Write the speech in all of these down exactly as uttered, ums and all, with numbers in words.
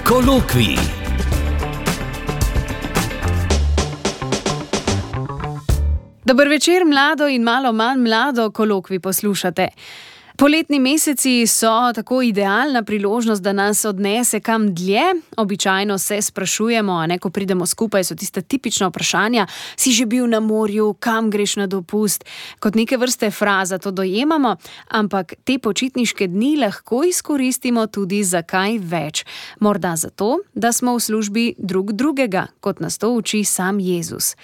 Kolokvij. Dober večer, mlado in malo manj mlado, kolokvij poslušate. Poletni meseci so tako idealna priložnost, da nas odnese kam dlje. Običajno se sprašujemo, a ne, ko pridemo skupaj, so tista tipična vprašanja: si že bil na morju, kam greš na dopust? Kot neke vrste fraza to dojemamo, ampak te počitniške dni lahko izkoristimo tudi za kaj več. Morda zato, da smo v službi drug drugega, kot nas to uči sam Jezus.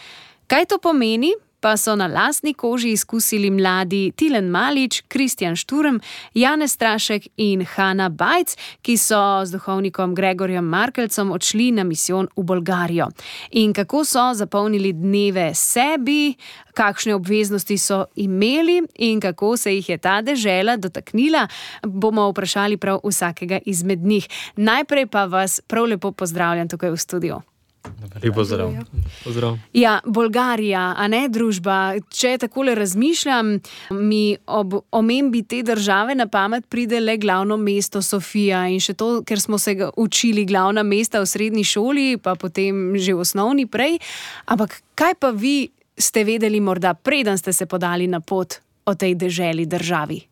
Kaj to pomeni? Pa so na lastni koži izkusili mladi Tilen Malič, Kristjan Šturm, Janez Strašek in Hana Bajc, ki so z duhovnikom Gregorjem Markelcem odšli na misijon v Bolgarijo. In kako so zapolnili dneve sebi, kakšne obveznosti so imeli in kako se jih je ta dežela dotaknila, bomo vprašali prav vsakega izmed njih. Najprej pa vas prav lepo pozdravljam tukaj v studiu. Lepo pozdrav. Pozdrav. Ja, Bolgarija, a ne družba. Če takole razmišljam, mi ob omembi te države na pamet pride le glavno mesto Sofija in še to, ker smo se učili glavna mesta v srednji šoli, pa potem že v osnovni prej. Ampak kaj pa vi ste vedeli morda, preden ste se podali na pot o tej deželi državi?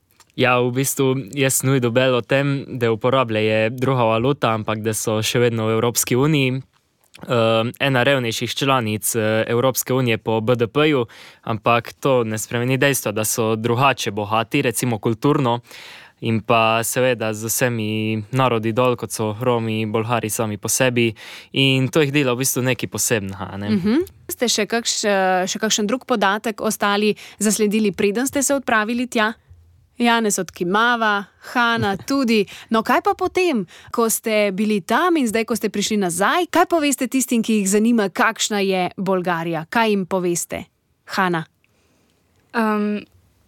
Ja, v bistvu jaz sem dobil o tem, da uporabljajo druga valuta, ampak da so še vedno v Evropski uniji. Uh, ena revnejših članic uh, Evropske unije po B D P-ju, ampak to ne spremeni dejstva, da so drugače bogati, recimo kulturno, in pa seveda z vsemi narodi dol, kot so Romi, Bolgari sami po sebi, in to jih dela v bistvu nekaj posebnega. Ne? Uh-huh. Ste še, kakš, še kakšen drug podatek ostali zasledili, preden ste se odpravili tja? Janez odkimava, Hana tudi. No, kaj pa potem, ko ste bili tam in zdaj, ko ste prišli nazaj, kaj poveste tistim, ki jih zanima, kakšna je Bolgarija? Kaj jim poveste? Hana? Um,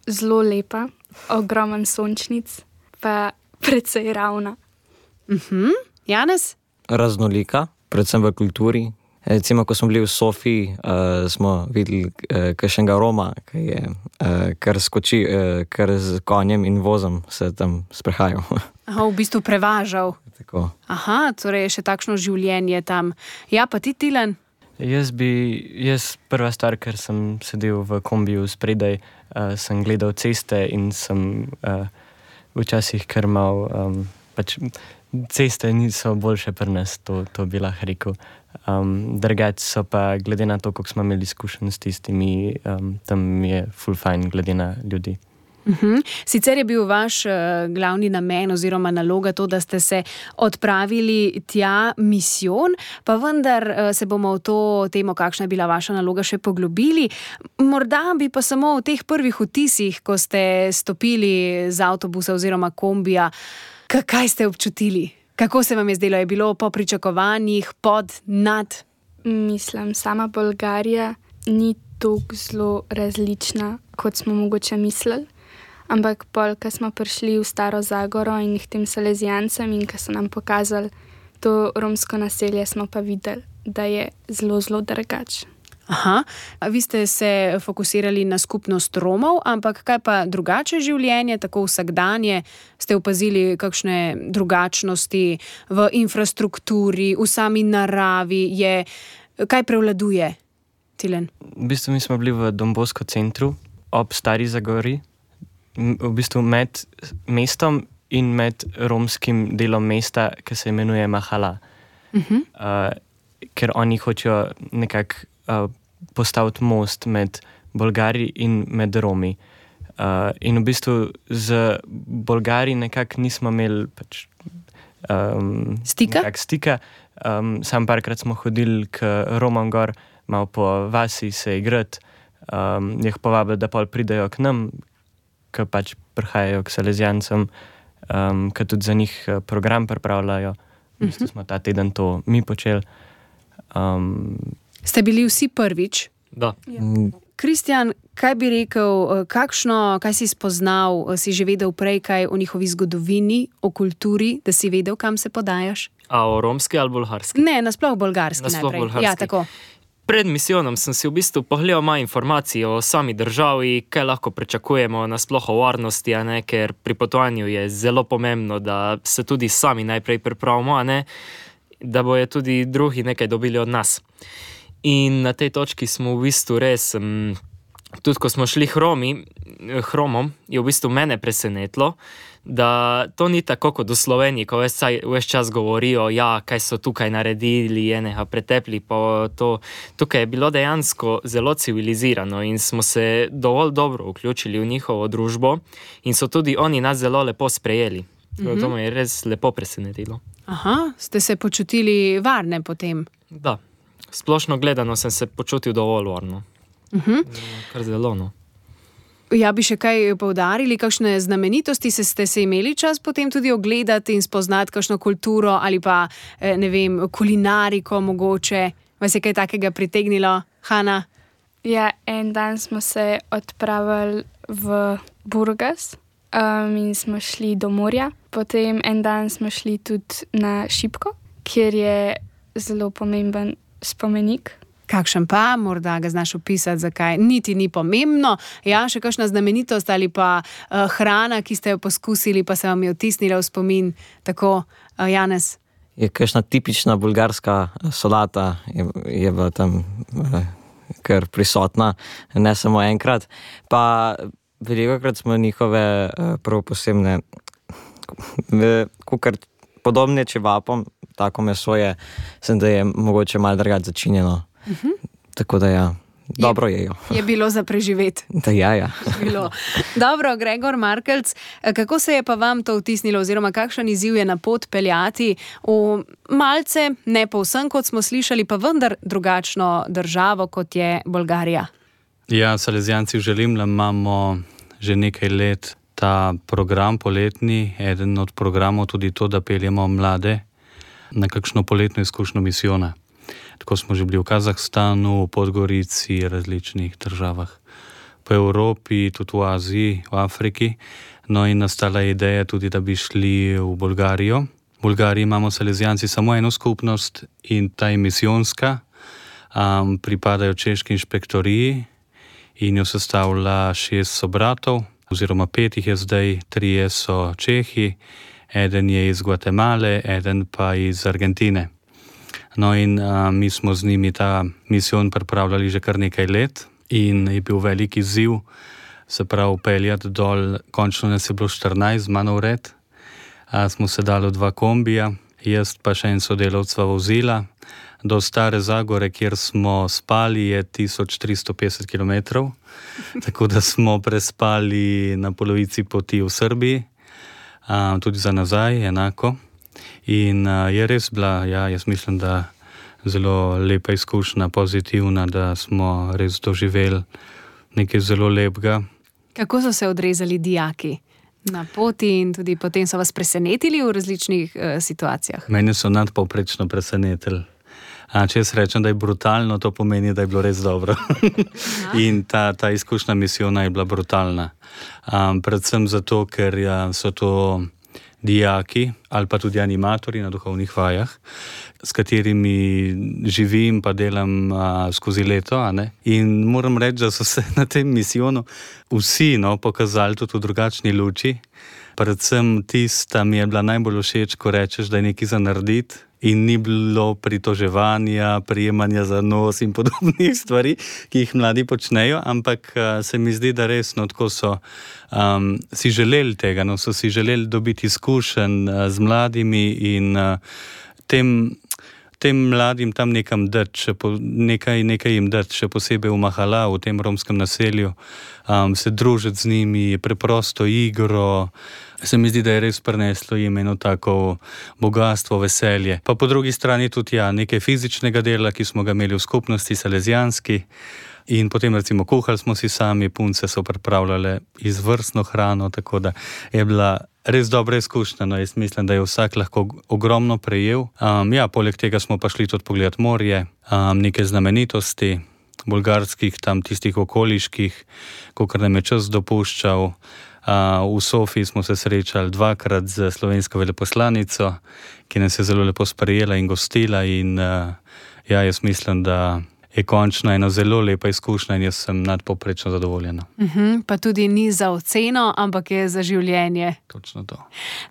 zelo lepa, ogromen sončnic, pa precej ravna. Uh-huh. Janez? Raznolika, predvsem v kulturi. Recimo, ko smo bili v Sofiji, uh, smo videli uh, kakšnega Roma, ki je uh, kar skoči, uh, kar z konjem in vozom se tam sprehajal. Aha, v bistvu prevažal. Tako. Aha, torej je še takšno življenje tam. Ja, pa ti, Tilen? Jaz bi, jaz prva stvar, ker sem sedel v kombiju spredaj, uh, sem gledal ceste in sem uh, včasih kar mal, um, pač ceste niso boljše pri nas, to, to bi lahko rekel. Um, Drugače so pa, glede na to, koliko smo imeli izkušenj s tistimi, um, tam je full fine, glede na ljudi. Uh-huh. Sicer je bil vaš uh, glavni namen oziroma naloga to, da ste se odpravili tja misijon, pa vendar uh, se bomo v to temo, kakšna je bila vaša naloga, še poglobili. Morda bi pa samo v teh prvih vtisih, ko ste stopili z avtobusa oziroma kombija, kaj ste občutili? Kako se vam je zdelo? Je bilo po pričakovanjih, pod, nad? Mislim, sama Bolgarija ni tako zelo različna, kot smo mogoče mislili. Ampak pol, ko smo prišli v Staro Zagoro in k tem Salezijancem in ko so nam pokazali to romsko naselje, smo pa videli, da je zelo, zelo drugače. Aha, vi ste se fokusirali na skupnost Romov, ampak kaj pa drugače življenje, tako vsakdanje? Ste opazili kakšne drugačnosti v infrastrukturi, v sami naravi? Je, kaj prevladuje, Tilen? V bistvu mi smo bili v Don Bosco centru ob Stari Zagori, v bistvu med mestom in med romskim delom mesta, ki se imenuje Mahala. Uh-huh. Uh, ker oni hočejo nekako Uh, postaviti most med Bolgari in med Romi. Uh, in v bistvu z Bolgari nekako nismo imeli pač, um, stika. stika. Um, sam parkrat smo hodili k Romom gor, malo po vasi se igrati, um, jih povabili, da pol pridejo k nam, ki pač prihajajo k Salezijancem, um, ki tudi za njih program pripravljajo. V bistvu smo ta teden to mi počeli. Um, Ste bili vsi prvič? Da. Ja. Kristjan, kaj bi rekel, kakšno, kaj si spoznal, si že vedel prej kaj o njihovi zgodovini, o kulturi, da si vedel, kam se podajaš? A o romski ali bolgarski? Ne, nasploh bolgarski nasploh najprej. Bolgarski. Ja, tako. Pred misijonom sem si v bistvu pogledal malo informacij o sami državi, kaj lahko pričakujemo nasploh o varnosti, a ne, ker pri potovanju je zelo pomembno, da se tudi sami najprej pripravimo, a ne. da bojo tudi drugi nekaj dobili od nas. In na tej točki smo v bistvu res, um, tudi ko smo šli hromi, hromom, je v bistvu mene presenetilo, da to ni tako kot v Sloveniji, ko ves čas govorijo, ja, kaj so tukaj naredili, enega pretepli, pa to. Tukaj je bilo dejansko zelo civilizirano in smo se dovolj dobro vključili v njihovo družbo in so tudi oni nas zelo lepo sprejeli. Mm-hmm. To me je res lepo presenetilo. Aha, ste se počutili varne potem? Da, splošno gledano sem se počutil dovolj varno. Mm-hmm. Kar zelo, no. Ja, bi še kaj poudarili, kakšne znamenitosti se ste se imeli čas potem tudi ogledati in spoznati kakšno kulturo ali pa, ne vem, kulinariko mogoče? Vas je kaj takega pritegnilo, Hana? Ja, en dan smo se odpravili v Burgas um, in smo šli do morja. Potem en dan smo šli tudi na Šipko, kjer je zelo pomemben spomenik. Kakšen pa, morda ga znaš opisati, zakaj niti ni pomembno. Ja, še kakšna znamenitost ali pa uh, hrana, ki ste jo poskusili, pa se vam je vtisnila v spomin, tako, uh, Janez? Je kakšna tipična bulgarska solata, je, je bila tam uh, kar prisotna, ne samo enkrat. Pa velikokrat smo njihove uh, prav posebne, kukar podobne čevapom, tako meso je, sem da je mogoče malo drugače začinjeno. Uh-huh. Tako da ja, dobro je, jejo. Je bilo za preživeti. Da ja, ja. Bilo. Dobro, Gregor Markelc, kako se je pa vam to vtisnilo oziroma kakšen izziv je na pot peljati v malce, ne povsem, kot smo slišali, pa vendar drugačno državo, kot je Bolgarija? Ja, Salezijanci v Želimlju imamo že nekaj let ta program poletni, eden od programov tudi to, da peljemo mlade na kakšno poletno izkušnjo misijona. Tako smo že bili v Kazahstanu, v Podgorici, različnih državah. Po Evropi, tudi v Aziji, v Afriki. No in nastala ideja tudi, da bi šli v Bolgarijo. V Bolgariji imamo Salezijanci samo eno skupnost in ta je misijonska. Um, pripadajo češki inšpektoriji in jo sestavlja šest sobratov, oziroma pet jih je zdaj, trije so Čehi, eden je iz Gvatemale, eden pa iz Argentine. No in a, mi smo z njimi ta misijon pripravljali že kar nekaj let in je bil velik izziv, se pravi peljati dol, končno nas je bilo štirinajst, mano vred, a, smo se dali v dva kombija, jaz pa še en sodelavc sva vozila, do Stare Zagore, kjer smo spali, je tisoč tristo petdeset kilometrov, tako da smo prespali na polovici poti v Srbiji, a, tudi za nazaj, enako. In uh, je res bila, ja, jaz mislim, da zelo lepa izkušnja, pozitivna, da smo res doživeli nekaj zelo lepega. Kako so se odrezali dijaki na poti in tudi potem so vas presenetili v različnih uh, situacijah? Mene so nadpovprečno presenetili. A, če jaz rečem, da je brutalno, to pomeni, da je bilo res dobro. In ta, ta izkušnja misijona je bila brutalna. Um, predvsem zato, ker ja, so to dijaki ali pa tudi animatorji na duhovnih vajah, s katerimi živim pa delam a, skozi leto. A ne? In moram reči, da so se na tem misijonu vsi no, pokazali tudi v drugačni luči. Predvsem tista mi je bila najbolj všeč, ko rečeš, da je nekaj za narediti in ni bilo pritoževanja, prijemanja za nos in podobnih stvari, ki jih mladi počnejo, ampak uh, se mi zdi, da resno tako so um, si želeli tega, no, so si želeli dobiti izkušenj uh, z mladimi in uh, tem, tem mladim tam nekam dati, nekaj, nekaj jim dati, še posebej v Mahala, v tem romskem naselju, um, se družiti z njimi, preprosto igro. Se mi zdi, da je res prineslo jim eno tako bogatstvo, veselje. Pa po drugi strani tudi ja, nekaj fizičnega dela, ki smo ga imeli v skupnosti salezijanski in potem recimo kuhali smo si sami, punce so pripravljale izvrstno hrano, tako da je bila res dobra izkušnja. No, jaz mislim, da je vsak lahko ogromno prejel. Um, ja, poleg tega smo pa šli tudi pogledati morje, um, nekaj znamenitosti, bolgarskih, tam tistih okoliških, kolikor nam je čas dopuščal. Uh, v Sofiji smo se srečali dvakrat z slovensko veleposlanico, ki nas je zelo lepo sprejela in gostila in uh, ja, jaz mislim, da je končno ena zelo lepa izkušnja in jaz sem nadpovprečno zadovoljen. Uh-huh, pa tudi ni za oceno, ampak je za življenje. Točno to.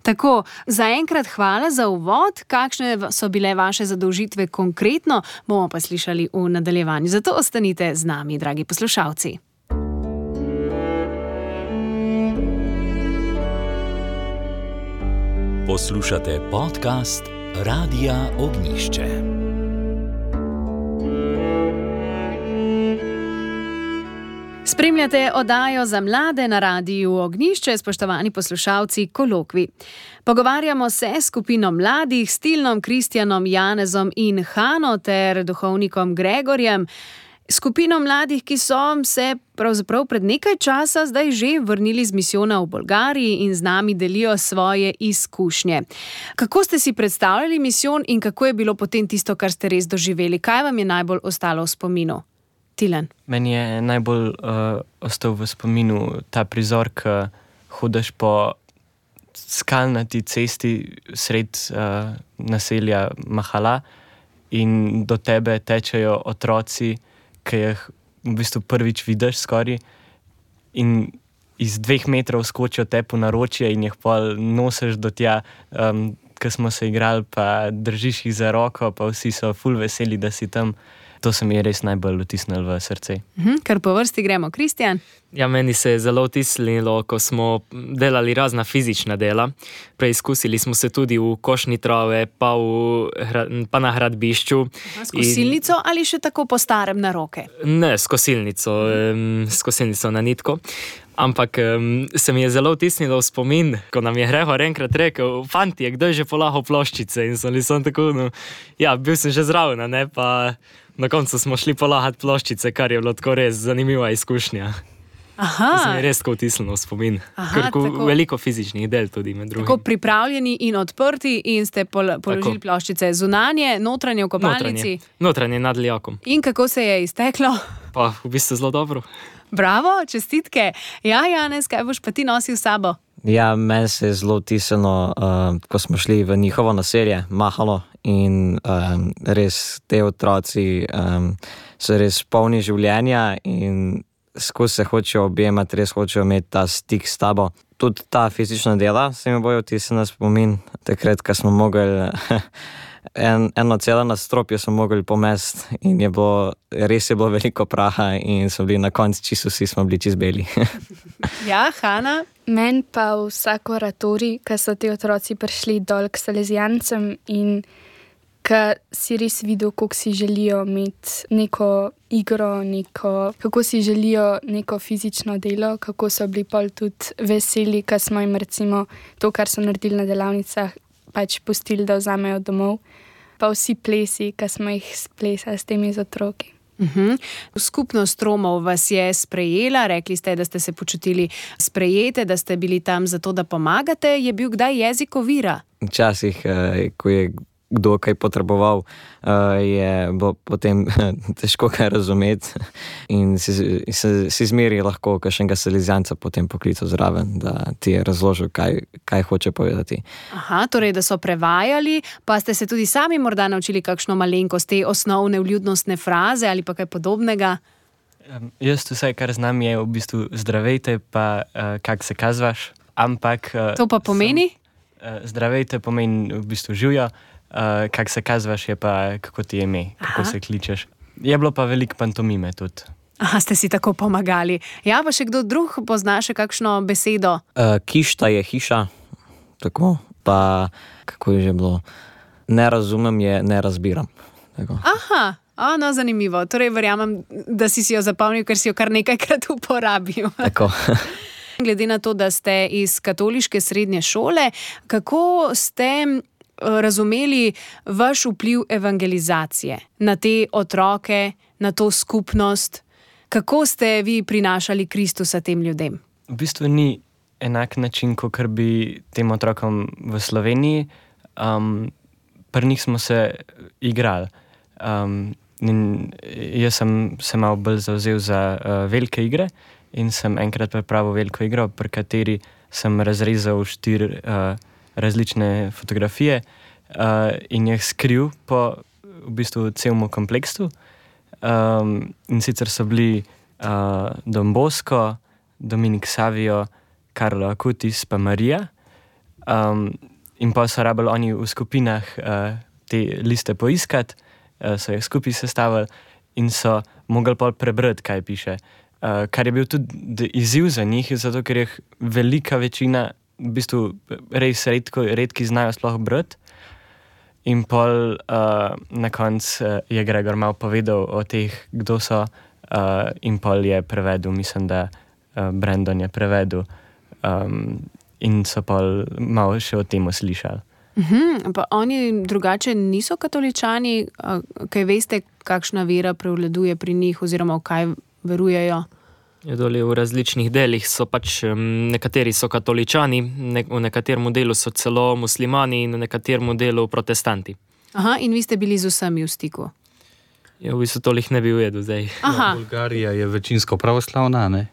Tako, zaenkrat hvala za uvod. Kakšne so bile vaše zadolžitve konkretno, bomo pa slišali v nadaljevanju. Zato ostanite z nami, dragi poslušalci. Poslušate podcast Radia Ognišče. Spremljate oddajo za mlade na Radiu Ognišče, spoštovani poslušalci Kolokvi. Pogovarjamo se s skupino mladih, s Tilnom, Kristjanom, Janezom in Hano ter duhovnikom Gregorjem. Skupino mladih, ki so se pravzaprav pred nekaj časa zdaj že vrnili z misijona v Bolgariji in z nami delijo svoje izkušnje. Kako ste si predstavljali misijon in kako je bilo potem tisto, kar ste res doživeli? Kaj vam je najbolj ostalo v spominu? Tilen. Meni je najbolj uh, ostal v spominu ta prizor, ko hodiš po skalnati cesti sred uh, naselja Mahala in do tebe tečejo otroci, ki jih v bistvu prvič vidiš skoraj in iz dveh metrov skočijo te po naročje in jih pol nosiš do tja, um, ko smo se igrali, pa držiš jih za roko, pa vsi so ful veseli, da si tam. To se mi je res najbolj vtisnilo v srce. Mhm, kar po vrsti gremo. Kristjan? Ja, meni se je zelo vtisnilo, ko smo delali razna fizična dela. Preizkusili smo se tudi v košni trave, pa, v, pa na hradbišču. S kosilnico in... ali še tako po starem na roke? Ne, s kosilnico, um, s kosilnico na nitko. Ampak um, se mi je zelo vtisnilo v spomin, ko nam je Gregor enkrat rekel: "Fantje, kdo je že polahal ploščice?" In sem, sem tako, no, ja, bil sem že zraven, ne, pa na koncu smo šli polahati ploščice, kar je bilo tako res zanimiva izkušnja. Aha. To se mi je res tako vtisnilo v spomin. Aha, tako, veliko fizičnih del tudi med drugim. Tako pripravljeni in odprti in ste pol, položili tako ploščice zunanje, notranje v kopalnici. Notranje, notranje nad lijakom. In kako se je izteklo? Pa v bistvu zelo dobro. Bravo, čestitke. Ja, Janez, kaj boš pa ti nosil s sabo? Ja, meni se je zelo vtisnilo, uh, ko smo šli v njihovo naselje, Mahalo, in um, res te otroci um, so res polni življenja in skozi se hočejo objemati, res hočejo imeti ta stik s tabo. Tudi ta fizična dela se mi bojo vtisnila spomin, takrat, ko smo mogli en, eno celo nadstropje smo mogli pomesti in je bilo, res je bilo veliko praha in so bili na koncu čisto vsi smo bili čist beli. Ja, Hana? Meni pa vsak oratorij, ko so ti otroci prišli dol k salezijancem in ko si res videl, kako si želijo imeti neko igro, neko, kako si želijo neko fizično delo, kako so bili pol tudi veseli, ko smo jim recimo to, kar so naredili na delavnicah, pač pustili, da vzamejo domov. Pa vsi plesi, ko smo jih splesali s temi z otroki. Uh-huh. Skupnost Romov vas je sprejela, rekli ste, da ste se počutili sprejete, da ste bili tam zato, da pomagate. Je bil kdaj jezik ovira? Včasih, ko je kdo kaj potreboval, je bilo potem težko kaj razumeti in si, si, si zmeri lahko kakšnega salezijanca potem poklical zraven, da ti je razložil, kaj, kaj hoče povedati. Aha, torej, da so prevajali, pa ste se tudi sami morda naučili kakšno malenkost, te osnovne vljudnostne fraze ali pa kaj podobnega? Um, jaz vse, kar znam, je v bistvu zdravejte, pa uh, kak se kazvaš, ampak... Uh, to pa pomeni? Sem, uh, zdravejte pomeni v bistvu živjo, Uh, kak se kazvaš, je pa kako ti je ime, kako Aha. se kličeš. Je bilo pa veliko pantomime tudi. Aha, ste si tako pomagali. Ja, pa še kdo drug pozna še kakšno besedo? Uh, kišta je hiša, tako, pa kako je že bilo, ne razumem je, ne razbiram. Tako. Aha, a, no, zanimivo. Torej, verjamem, da si si jo zapomnil, ker si jo kar nekajkrat uporabil. Tako. Glede na to, da ste iz katoliške srednje šole, kako ste razumeli vaš vpliv evangelizacije na te otroke, na to skupnost? Kako ste vi prinašali Kristusa tem ljudem? V bistvu ni enak način, kot bi tem otrokom v Sloveniji. Um, pri njih smo se igrali. Um, in jaz sem se malo bolj zavzel za uh, velike igre in sem enkrat pripravil veliko igro, pri kateri sem razrezal štiri uh, različne fotografije uh, in jih skril po v bistvu celemu kompleksu. Um, in sicer so bili uh, Don Bosco, Dominik Savio, Karlo Acutis pa Marija. Um, in pa so rabili oni v skupinah uh, te liste poiskati, uh, so jih skupaj sestavili in so mogli pol prebrati, kaj piše. Uh, kar je bil tudi izziv za njih, zato ker jih velika večina, v bistvu res redko, redki znajo sploh brati. In pol uh, na koncu uh, je Gregor malo povedal o teh, kdo so, uh, in pol je prevedel, mislim, da uh, Brandon je prevedel, um, in so pol malo še o tem slišali. Uhum, pa oni drugače niso katoličani, kaj veste, kakšna vera prevladuje pri njih oziroma v kaj verujejo? Je doli v različnih delih so pač, um, nekateri so katoličani, ne, v nekaterem delu so celo muslimani in v nekaterem delu protestanti. Aha, in vi ste bili z vsemi v stiku? Ja, v bistvu tolih ne bi ujedel zdaj. Aha. Bolgarija je večinsko pravoslavna, ne?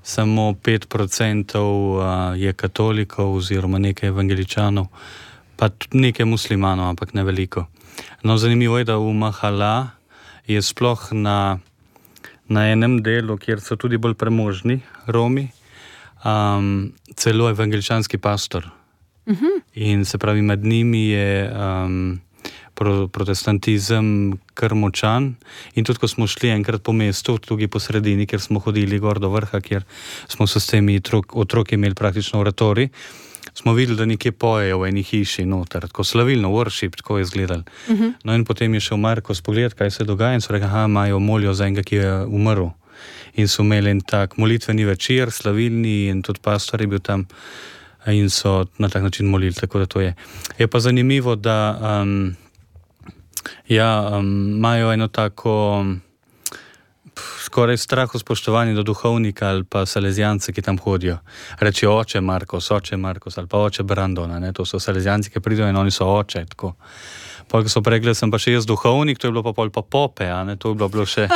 Samo pet procentov je katolikov oziroma nekaj evangeličanov, pa tudi nekaj muslimanov, ampak ne veliko. No, zanimivo je, da v Mahala je sploh na, na enem delu, kjer so tudi bolj premožni Romi, um, celo evangeličanski pastor. Uh-huh. In se pravi, med njimi je um, pro, protestantizem kar močan. In tudi, ko smo šli enkrat po mestu, tudi po sredini, kjer smo hodili gor do vrha, kjer smo se s temi otrok, otroki imeli praktično oratorij, smo videli, da nekje pojejo v eni hiši noter, tako slavilno, worship, tako je izgledal. Uh-huh. No in potem je šel Marko spogledati, kaj se dogaja in so rekli, aha, imajo molijo za enega, ki je umrl. In so imeli en tak molitveni večer, slavilni, in tudi pastor je bil tam in so na tak način molili, tako da to je. Je pa zanimivo, da um, ja, um, imajo eno tako skoraj straho spoštovanje do duhovnika ali pa salezijance, ki tam hodijo. Reči oče Markos, oče Markos ali pa oče Brandona, ne? To so salezijanci, ki pridejo in oni so oče, tako. Pol, ko so pregledali, sem pa še jaz duhovnik, to je bilo pa pol pa pope, a ne? To je bilo, bilo še,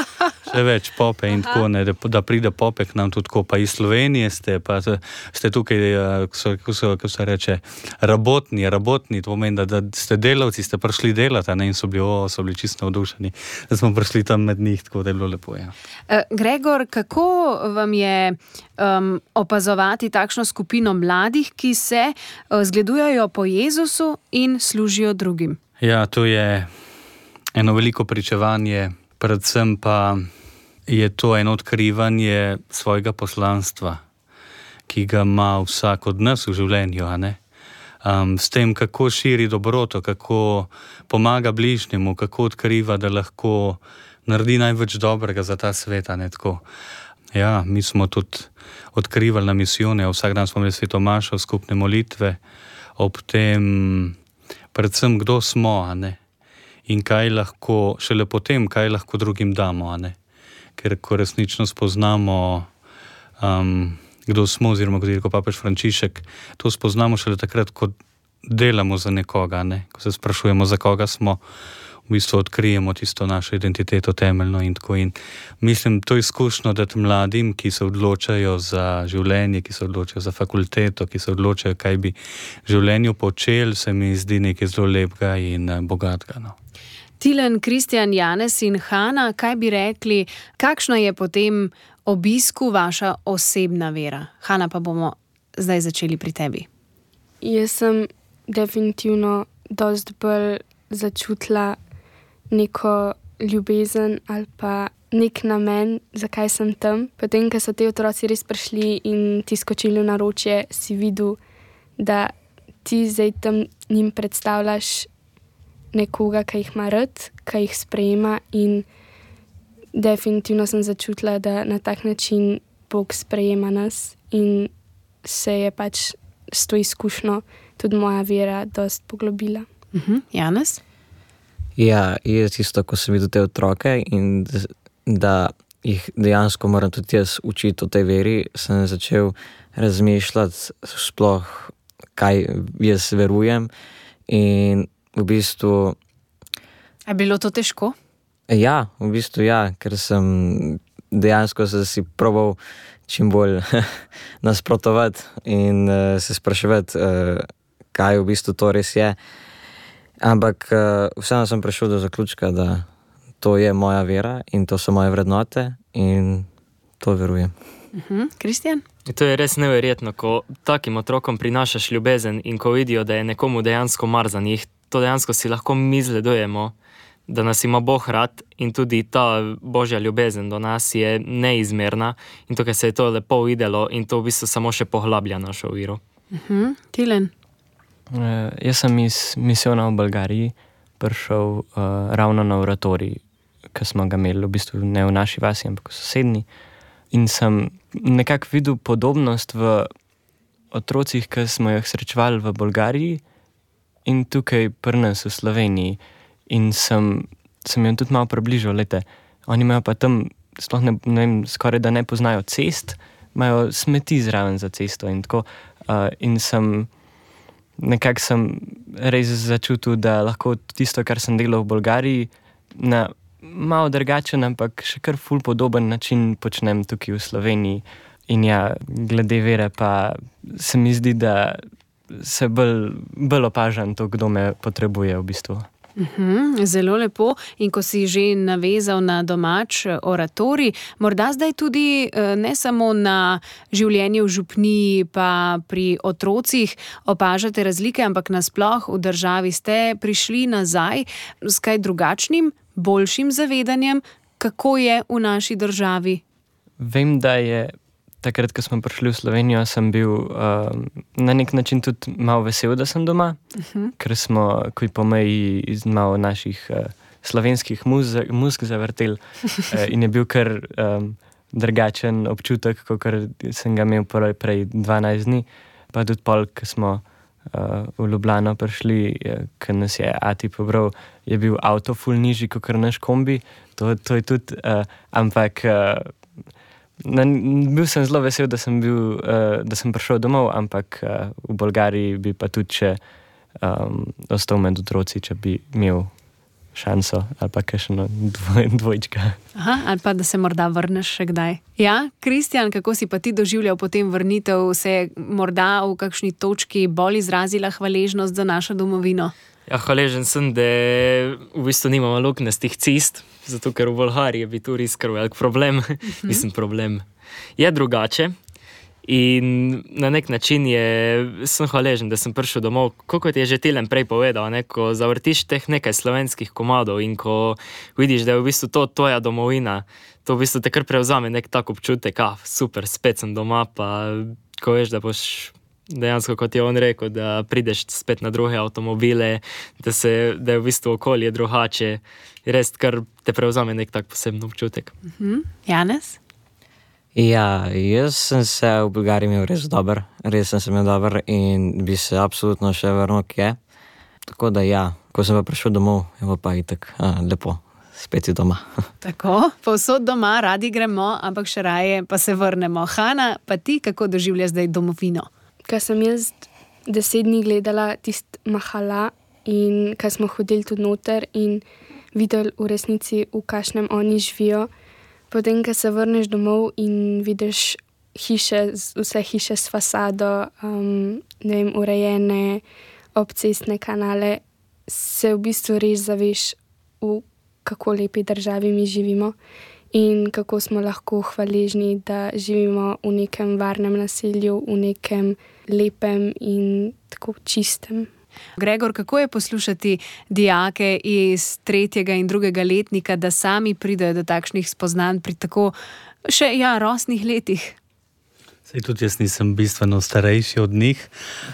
še več pope in tako, ne? Da, da pride pope k nam tudi tako, pa iz Slovenije ste, pa ste tukaj, ko so, ko so, ko se reče, rabotni, rabotni, to pomeni, da, da ste delavci, ste prišli delati, a ne? In so bili, o, so bili čisto navdušeni, da smo prišli tam med njih, tako da je bilo lepo, ja. Gregor, kako vam je um, opazovati takšno skupino mladih, ki se uh, zgledujejo po Jezusu in služijo drugim? Ja, to je eno veliko pričevanje, predvsem pa je to eno odkrivanje svojega poslanstva, ki ga ima vsak od nas v življenju, a ne? Um, s tem, kako širi dobroto, kako pomaga bližnjemu, kako odkriva, da lahko naredi največ dobrega za ta svet, a ne tako. Ja, mi smo tudi odkrivali na misijone, vsak dan smo imeli svetomašo, skupne molitve, ob tem predvsem kdo smo, a ne, in kaj lahko, šele potem, kaj lahko drugim damo, a ne, ker ko resnično spoznamo, um, kdo smo, oziroma kot je rekel papež Frančišek, to spoznamo šele takrat, ko delamo za nekoga, ne, ko se sprašujemo, za koga smo, v bistvu odkrijemo tisto našo identiteto temeljno in tako. In mislim, to izkušnjo dati mladim, ki se odločajo za življenje, ki se odločajo za fakulteto, ki se odločajo, kaj bi življenju počeli, se mi zdi nekaj zelo lepega in bogatega. No. Tilen, Kristjan, Janez in Hana, kaj bi rekli, kakšna je po tem obisku vaša osebna vera? Hana, pa bomo zdaj začeli pri tebi. Jaz sem definitivno dosti bolj začutila neko ljubezen ali pa nek namen, zakaj sem tam. Potem, ko so te otroci res prišli in ti skočili v naročje, si videl, da ti zdaj tam njim predstavljaš nekoga, ki jih ima rad, ki jih sprejema, in definitivno sem začutila, da na tak način Bog sprejema nas in se je pač s to izkušnjo tudi moja vera dosti poglobila. Uh-huh. Janez? Ja, jaz isto, ko sem videl te otroke in da jih dejansko moram tudi jaz učiti o tej veri, sem začel razmišljati sploh, kaj jaz verujem, in v bistvu... Je bilo to težko? Ja, v bistvu ja, ker sem dejansko se si probal čim bolj nasprotovati in uh, se spraševati, uh, kaj v bistvu to res je. Ampak uh, vseeno sem prišel do zaključka, da to je moja vera in to so moje vrednote in to verujem. Kristjan? Uh-huh. To je res neverjetno, ko takim otrokom prinašaš ljubezen in ko vidijo, da je nekomu dejansko mar za njih, to dejansko si lahko mi zledujemo, da nas ima Bog rad in tudi ta božja ljubezen do nas je neizmerna in tukaj se je to lepo videlo in to v bistvu samo še poglablja našo vero. Uh-huh. Tilen? Uh, jaz sem iz misijona v Bolgariji prišel uh, ravno na oratorij, ki smo ga imeli v bistvu ne v naši vasi, ampak v sosednji. In sem nekako videl podobnost v otrocih, ki smo jih srečevali v Bolgariji in tukaj pri nas v Sloveniji. In sem, sem jim tudi malo približal, lete. Oni imajo pa tam, sploh ne, ne vem, skoraj da ne poznajo cest, imajo smeti zraven za cesto in tako. Uh, in sem nekako sem res začutil, da lahko tisto, kar sem delal v Bolgariji, na malo drugačen, ampak še kar ful podoben način počnem tukaj v Sloveniji. In ja, glede vere pa se mi zdi, da se bolj, bolj opažam to, kdo me potrebuje v bistvu. Uhum, zelo lepo. In ko si že navezal na domač oratorij, morda zdaj tudi ne samo na življenje v župniji pa pri otrocih opažate razlike, ampak nasploh v državi ste prišli nazaj s kaj drugačnim, boljšim zavedanjem, kako je v naši državi? Vem, da je takrat, ko smo prišli v Slovenijo, sem bil uh, na nek način tudi malo vesel, da sem doma, uh-huh. ker smo, ko po meji iz malo naših uh, slovenskih muz, muzk zavrtel uh, in je bil kar um, drugačen občutek, kot sem ga imel prej, prej dvanajst dni. Pa tudi pol, ko smo uh, v Ljubljano prišli, uh, ko nas je ati pobral, je bil avto ful nižji, kot naš kombi. To, to je tudi, uh, ampak uh, Na, bil sem zelo vesel, da sem, bil, uh, da sem prišel domov, ampak uh, v Bolgariji bi pa tudi še um, ostal med otroci, če bi imel šanso ali pa kakšno dvoj, dvojčka. Aha, ali pa da se morda vrneš še kdaj. Ja, Kristjan, kako si pa ti doživljal potem vrnitev? Se je morda v kakšni točki bolj izrazila hvaležnost za našo domovino? Ja, hvaležen sem, da v bistvu nimamo luknjastih cest, zato ker v Bolgariji bi tu res kar velik problem. Uh-huh. Mislim, problem je drugače in na nek način je, sem hvaležen, da sem prišel domov. Kot je že Tilen prej povedal, ne, ko zavrtiš teh nekaj slovenskih komadov in ko vidiš, da je v bistvu to tvoja domovina, to v bistvu te kar prevzame nek tak občutek, ah, super, spet sem doma, pa ko veš, da boš dejansko, kot je on rekel, da prideš spet na druge avtomobile, da, se, da je v bistvu okolje drugače, res kar te prevzame nek tak poseben občutek. Uh-huh. Janez? Ja, jaz sem se v Bolgariji imel res dober, res sem se imel dober in bi se absolutno še vrnil kje. Tako da ja, ko sem pa prišel domov, je pa itak a, lepo, spet je doma. Tako, povsod doma, radi gremo, ampak še raje pa se vrnemo. Hana, pa ti kako doživljaš zdaj domovino? Ko sem jaz deset dni gledala tist mahala in ko smo hodili tudi noter in videli v resnici, v kakšnem oni živijo, potem, ko se vrneš domov in vidiš hiše, vse hiše s fasado, um, ne vem, urejene, obcestne kanale, se v bistvu res zaveš, v kako lepi državi mi živimo in kako smo lahko hvaležni, da živimo v nekem varnem naselju, v nekem lepem in tako čistem. Gregor, kako je poslušati dijake iz tretjega in drugega letnika, da sami pridejo do takšnih spoznanj pri tako še ja, rosnih letih? Sej tudi jaz nisem bistveno starejši od njih,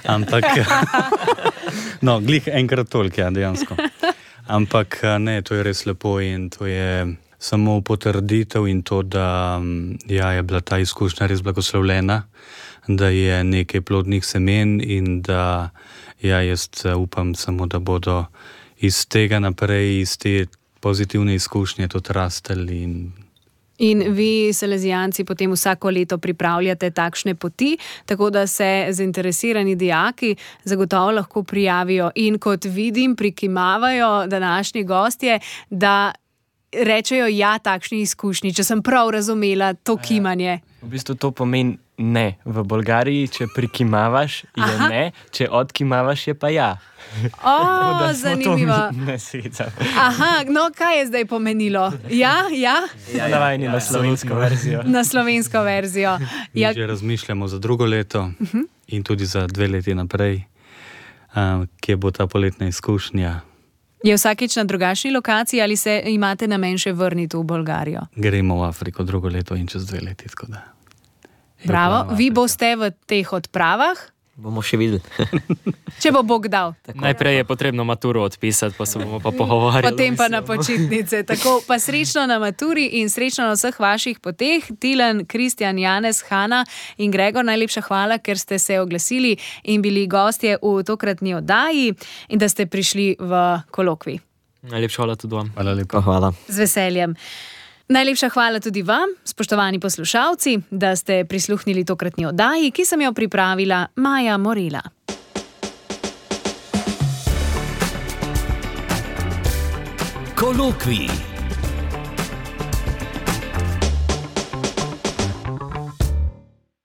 ampak no, glih enkrat toliko, ja, dejansko. Ampak ne, to je res lepo in to je samo potrditev in to, da ja, je bila ta izkušnja res blagoslovljena, da je nekaj plodnih semen in da ja, jaz upam samo, da bodo iz tega naprej, iz te pozitivne izkušnje tudi rastali. In... in vi, salezijanci, potem vsako leto pripravljate takšne poti, tako da se zainteresirani dijaki zagotovo lahko prijavijo in kot vidim, prikimavajo današnji gostje, da rečejo ja takšni izkušnji, če sem prav razumela to kimanje. V bistvu to pomeni ne. V Bolgariji, če prikimavaš, je Aha. ne, če odkimavaš, je pa ja. O, Da smo zanimivo. to ne svecali. Aha, no kaj je zdaj pomenilo? Ja, ja, Ja, navajeni na slovensko verzijo. na slovensko verzijo. Mi Ja, že razmišljamo za drugo leto in tudi za dve leti naprej, um, kje bo ta poletna izkušnja. je vsakič na drugačni lokaciji ali se imate namen še vrniti v Bolgarijo? Gremo v Afriko drugo leto in čez dve leti. tako da je Bravo, plan vi Afrika. boste v teh odpravah, Bomo še videli. če bo Bog dal. Najprej je potrebno maturo odpisati, pa se bomo pa pogovarjali. Potem pa na počitnice. Tako pa srečno na maturi in srečno na vseh vaših poteh. Tilen, Kristjan, Janez, Hanna in Gregor, najlepša hvala, ker ste se oglasili in bili gostje v tokratni oddaji in da ste prišli v kolokvij. Najlepša hvala tudi vam. Hvala lepa. Hvala. Z veseljem. Najlepša hvala tudi vam, spoštovani poslušalci, da ste prisluhnili tokratni oddaji, ki sem jo pripravila Maja Morela. Kolokvij.